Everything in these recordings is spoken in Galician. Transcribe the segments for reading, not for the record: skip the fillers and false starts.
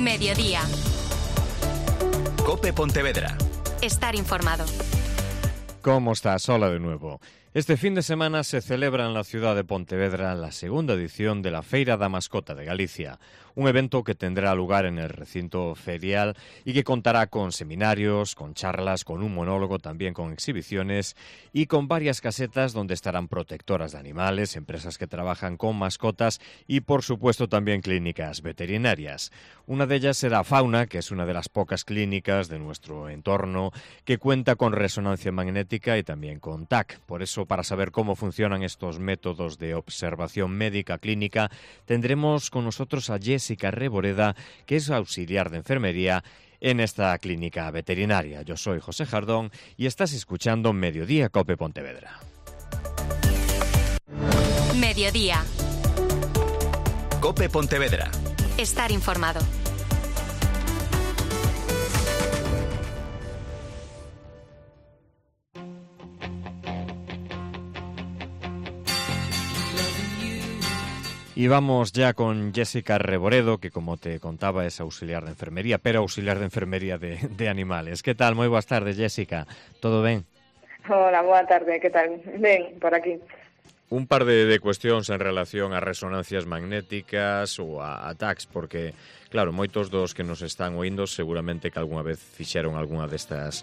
Mediodía. COPE Pontevedra. Estar informado. ¿Cómo estás? Hola de nuevo. Este fin de semana se celebra en la ciudad de Pontevedra la segunda edición de la Feira da Mascota de Galicia, un evento que tendrá lugar en el recinto ferial y que contará con seminarios, con charlas, con un monólogo, también con exhibiciones y con varias casetas donde estarán protectoras de animales, empresas que trabajan con mascotas y, por supuesto, también clínicas veterinarias. Una de ellas será Fauna, que es una de las pocas clínicas de nuestro entorno que cuenta con resonancia magnética y también con TAC. Por eso, para saber cómo funcionan estos métodos de observación médica clínica, tendremos con nosotros a Jessica Reboreda, que es auxiliar de enfermería en esta clínica veterinaria. Yo soy José Jardón y estás escuchando Mediodía COPE Pontevedra. Mediodía. COPE Pontevedra. Estar informado. Y vamos ya con Jessica Reboredo, que como te contaba es auxiliar de enfermería, pero auxiliar de enfermería de animales. ¿Qué tal? Moi boas tardes, Jessica. Todo ben? Hola, boa tarde, que tal? Ben, por aquí. Un par de cuestións en relación a resonancias magnéticas ou a TACs, porque, claro, moitos dos que nos están oindo seguramente que algunha vez fixeron algunha destas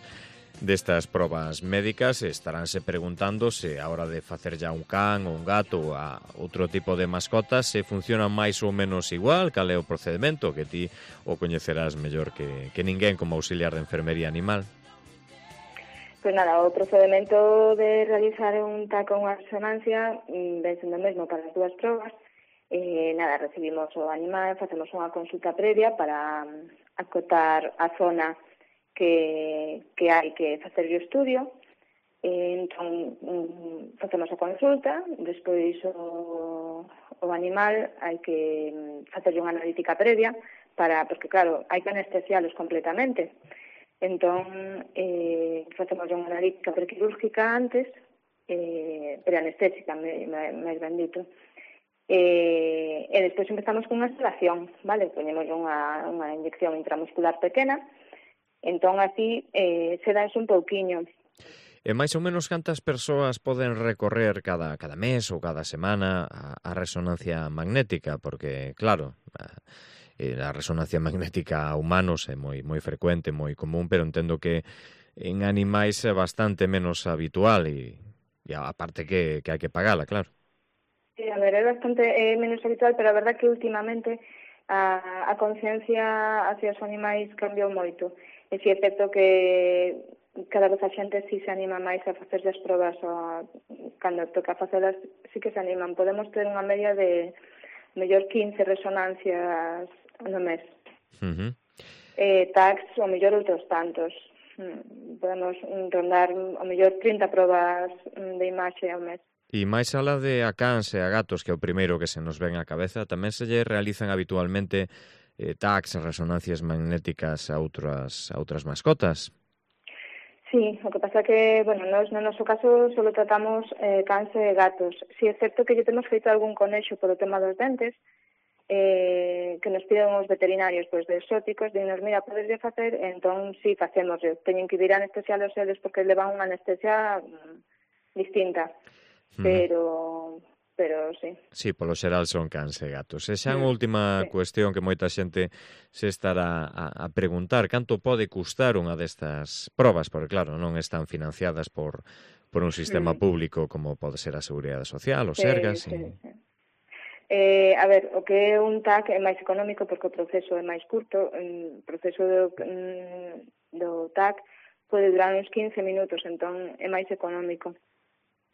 probas médicas e estaránse preguntando se a hora de facer ya un can ou un gato ou a outro tipo de mascotas se funcionan máis ou menos igual, cal é o procedimento que ti o coñecerás mellor que ninguén como auxiliar de enfermería animal. Pois nada, o procedimento de realizar un TAC ou unha resonancia ven sendo mesmo para as dúas probas. Nada, recibimos o animal, facemos unha consulta previa para acotar a zona que hai que facer o estudio. Entón, facemos a consulta, despois o animal hai que facer unha analítica previa porque claro, hai que anestesialos completamente. Entón, facemos unha analítica prequirúrgica antes, preanestésica, máis ben dito. E despois empezamos con unha sedación, vale? Poñemos unha inyección intramuscular pequena. Entón, así, sedanse un pouquiño. E máis ou menos cantas persoas poden recorrer cada mes ou cada semana a resonancia magnética? Porque, claro, a resonancia magnética a humanos é moi frecuente, moi común, pero entendo que en animais é bastante menos habitual e aparte que hai que pagala, claro. Sí, a ver, é bastante menos habitual, pero a verdad que últimamente a conciencia hacia os animais cambiou moito. E si é certo que cada vez a xente si se anima máis a facer as probas cando toca facelas, si que se animan. Podemos ter unha media de mellor 15 resonancias no mes. TACs, o mellor outros tantos. Podemos rondar o mellor 30 probas de imaxe ao mes. E máis alá de a cans e a gatos, que é o primeiro que se nos ven á cabeza, tamén se lle realizan habitualmente TACs, resonancias magnéticas a outras mascotas? Sí, o que pasa que, bueno, no noso caso solo tratamos cans e gatos. Si é certo que lle temos feito algún conexo polo tema dos dentes, que nos piden os veterinarios pois, de exóticos, dinos, mira, podeslle facer, entón sí, facemos. Teñen que ir a anestesialos eles porque levan unha anestesia distinta, pero sí. Sí, polo xeral son cans e gatos. E xa unha última cuestión que moita xente se estará a preguntar, canto pode custar unha destas probas? Porque claro, non están financiadas por un sistema público como pode ser a Seguridade Social, o Sergas. Sí. A ver, o que é un TAC é máis económico porque o proceso é máis curto. O proceso do TAC pode durar uns 15 minutos, entón é máis económico.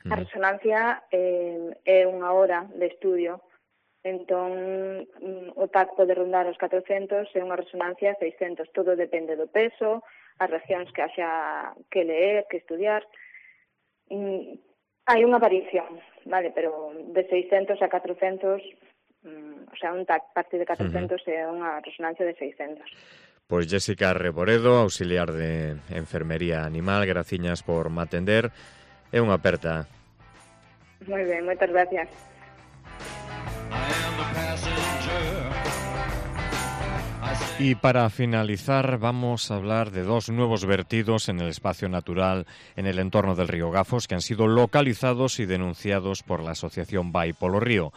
A resonancia é unha hora de estudio, entón o TAC pode rondar os 400 e unha resonancia 600. Todo depende do peso, as regións que haxa que ler, que estudiar. Hai unha variación, vale, pero de 600 a 400, o sea, un TAC parte de 400 é unha resonancia de 600. Pois Jessica Reboredo, auxiliar de enfermería animal, graciñas por me atender. É unha aperta. Moi ben, moitas gracias. Y para finalizar vamos a hablar de dos nuevos vertidos en el espacio natural en el entorno del río Gafos que han sido localizados y denunciados por la asociación Vai polo Río.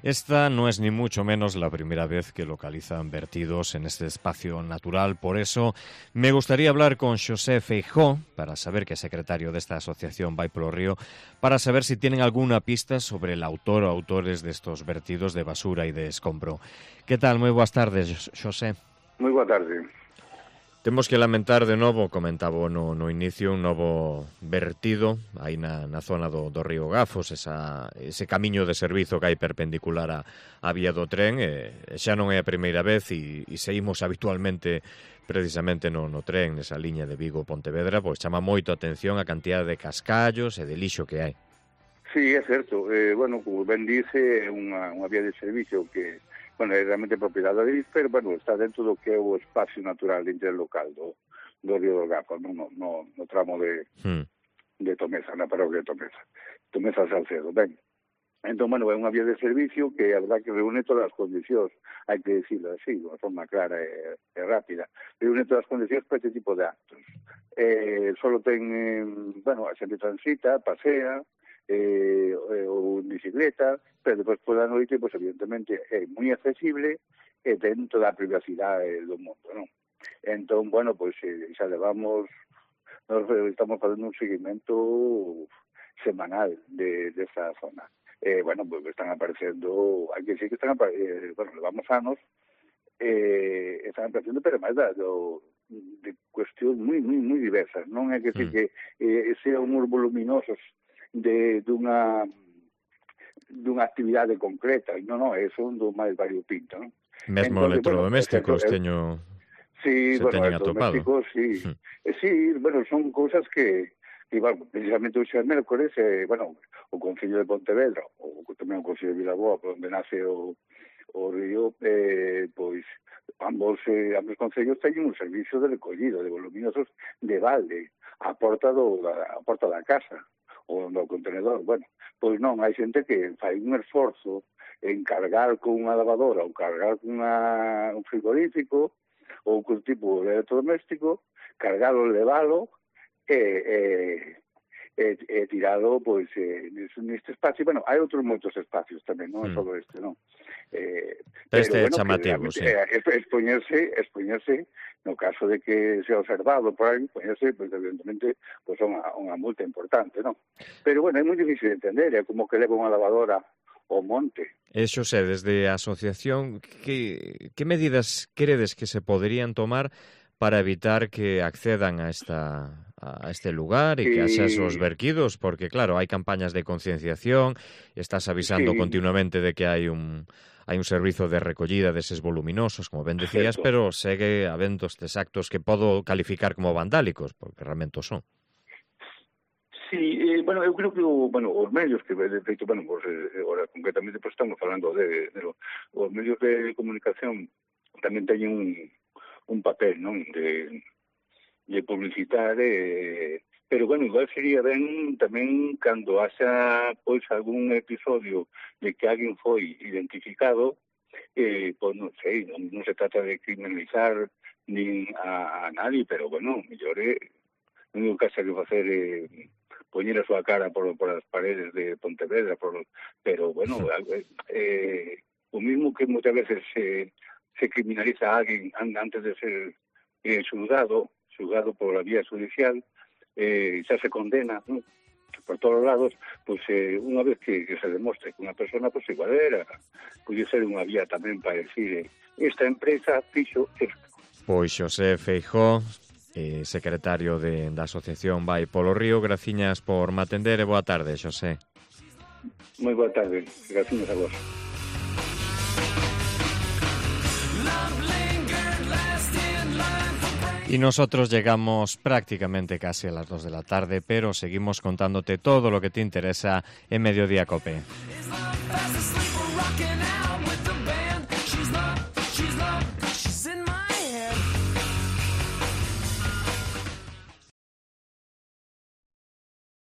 Esta no es ni mucho menos la primera vez que localizan vertidos en este espacio natural. Por eso me gustaría hablar con Xosé Feijó, para saber que es secretario de esta asociación Vai polo Río, para saber si tienen alguna pista sobre el autor o autores de estos vertidos de basura y de escombro. ¿Qué tal? Moi boas tardes, Xosé. Moi boa tarde. Temos que lamentar de novo, comentaba no inicio, un novo vertido aí na zona do río Gafos, ese camiño de servizo que hai perpendicular a vía do tren, xa non é a primeira vez e seguimos habitualmente precisamente no tren, nesa liña de Vigo-Pontevedra, pois chama moito a atención a cantidad de cascallos e de lixo que hai. Sí, é certo. Bueno, como ben dice, é unha vía de servicio que bueno, é realmente propiedade da DIF, pero, bueno, está dentro do que é o espacio natural interlocal do río do Gafos, no tramo de Tomeza, na parroquia de Tomeza Salcedo. Ben, entón, bueno, é unha vía de servicio que a verdad que reúne todas as condicións, hai que decirlo así, de unha forma clara e rápida, reúne todas as condicións para este tipo de actos. Solo ten, bueno, a xente transita, pasea, ou en bicicleta, pero depois pola noite, pues, evidentemente, é moi accesible e dentro da privacidade do mundo, non? Entón, bueno, pues, xa levamos, nos estamos facendo un seguimento semanal desta zona. Bueno, pues están aparecendo, hai que decir que están aparecendo, bueno, levamos anos, están aparecendo, pero máis de cuestións moi diversas, non é que decir que sean uns voluminosos dunha actividade concreta, non, son do máis variopinto, non? Mesmo electrodomésticos teño... Sí, bueno, electrodomésticos, sí. Sí, bueno, son cousas que bueno, precisamente o xa mércores, bueno, o Concello de Pontevedra, ou tamén o Concello de Vilaboa, por onde nace o río, pois, ambos concellos teñen un servicio de recollido de voluminosos de balde a porta da casa, ou no contenedor. Bueno, pois non, hai xente que fai un esforzo en cargar con unha lavadora ou cargar con un frigorífico ou con tipo de electrodoméstico, cargalo, levalo e tirado pois neste espacio. Bueno, hai outros moitos espacios tamén, non é só este, non? Este é chamativo, sí. Expoñerse no caso de que sea observado por aí, poñerse, pues, evidentemente, pues, unha multa importante, non? Pero, bueno, é moi difícil de entender, é como que leva unha lavadora ao monte. Xosé, desde a asociación, que medidas credes que se poderían tomar para evitar que accedan a este lugar e que haxa esos verquidos? Porque, claro, hai campañas de concienciación, estás avisando continuamente de que hai un servizo de recollida deses voluminosos, como ben decías, pero segue habendo estes actos que podo calificar como vandálicos, porque realmente o son. Sí, bueno, eu creo que os medios que, de feito, bueno, pues, ahora concretamente pues, estamos falando de os medios de comunicación tamén teñen un papel, non, de publicitar, pero, bueno, igual sería ben tamén cando haxa, pois, algún episodio de que alguén foi identificado, pois, non sei, non se trata de criminalizar nin a nadie, pero, bueno, mellor o único que haxa que facer poñer a súa cara por as paredes de Pontevedra, pero, bueno, o mismo que moitas veces se criminaliza a alguén antes de ser xulgado por la vía judicial, xa se condena, ¿no?, por todos os lados, pues unha vez que se demostre que unha persona, pues igual puede ser unha vía tamén para decir esta empresa fixo esto. Pois Xosé Feijó, secretario da Asociación Vai polo Río, graciñas por me atender e boa tarde, Xosé. Moi boa tarde, graciñas a vos. Y nosotros llegamos prácticamente casi a las 2 de la tarde, pero seguimos contándote todo lo que te interesa en Mediodía COPE.